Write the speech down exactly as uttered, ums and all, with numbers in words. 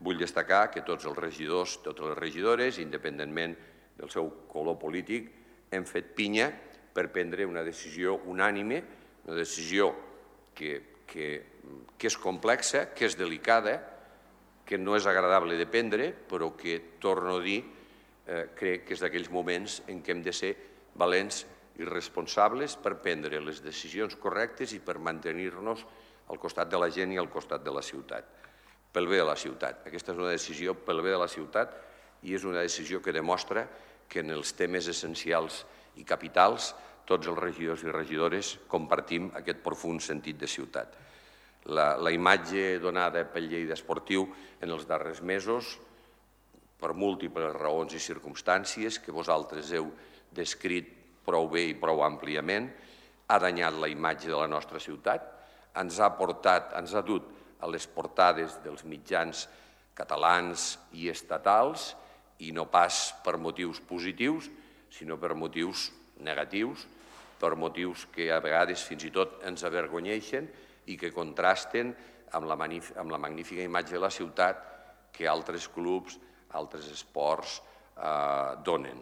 Vull destacar que tots els regidors, totes les regidores, independentment del seu color polític, hem fet pinya per prendre una decisió unànime, una decisió que, que, que és complexa, que és delicada, que no és agradable de prendre, però que, torno a dir, eh, crec que és d'aquells moments en què hem de ser valents i responsables per prendre les decisions correctes i per mantenir-nos al costat de la gent i al costat de la ciutat. Pel bé de la ciutat. Aquesta és una decisió pel bé de la ciutat i és una decisió que demostra que en els temes essencials i capitals tots els regidors i regidores compartim aquest profund sentit de ciutat. La, la imatge donada pel Lleida Esportiu en els darrers mesos, per múltiples raons i circumstàncies que vosaltres heu descrit prou bé i prou àmpliament, ha danyat la imatge de la nostra ciutat, ens ha portat, ens ha dut a les portades dels mitjans catalans i estatals, i no pas per motius positius, sinó per motius negatius, per motius que a vegades fins i tot ens avergonyeixen i que contrasten amb la, amb la magnífica imatge de la ciutat que altres clubs, altres esports eh, donen.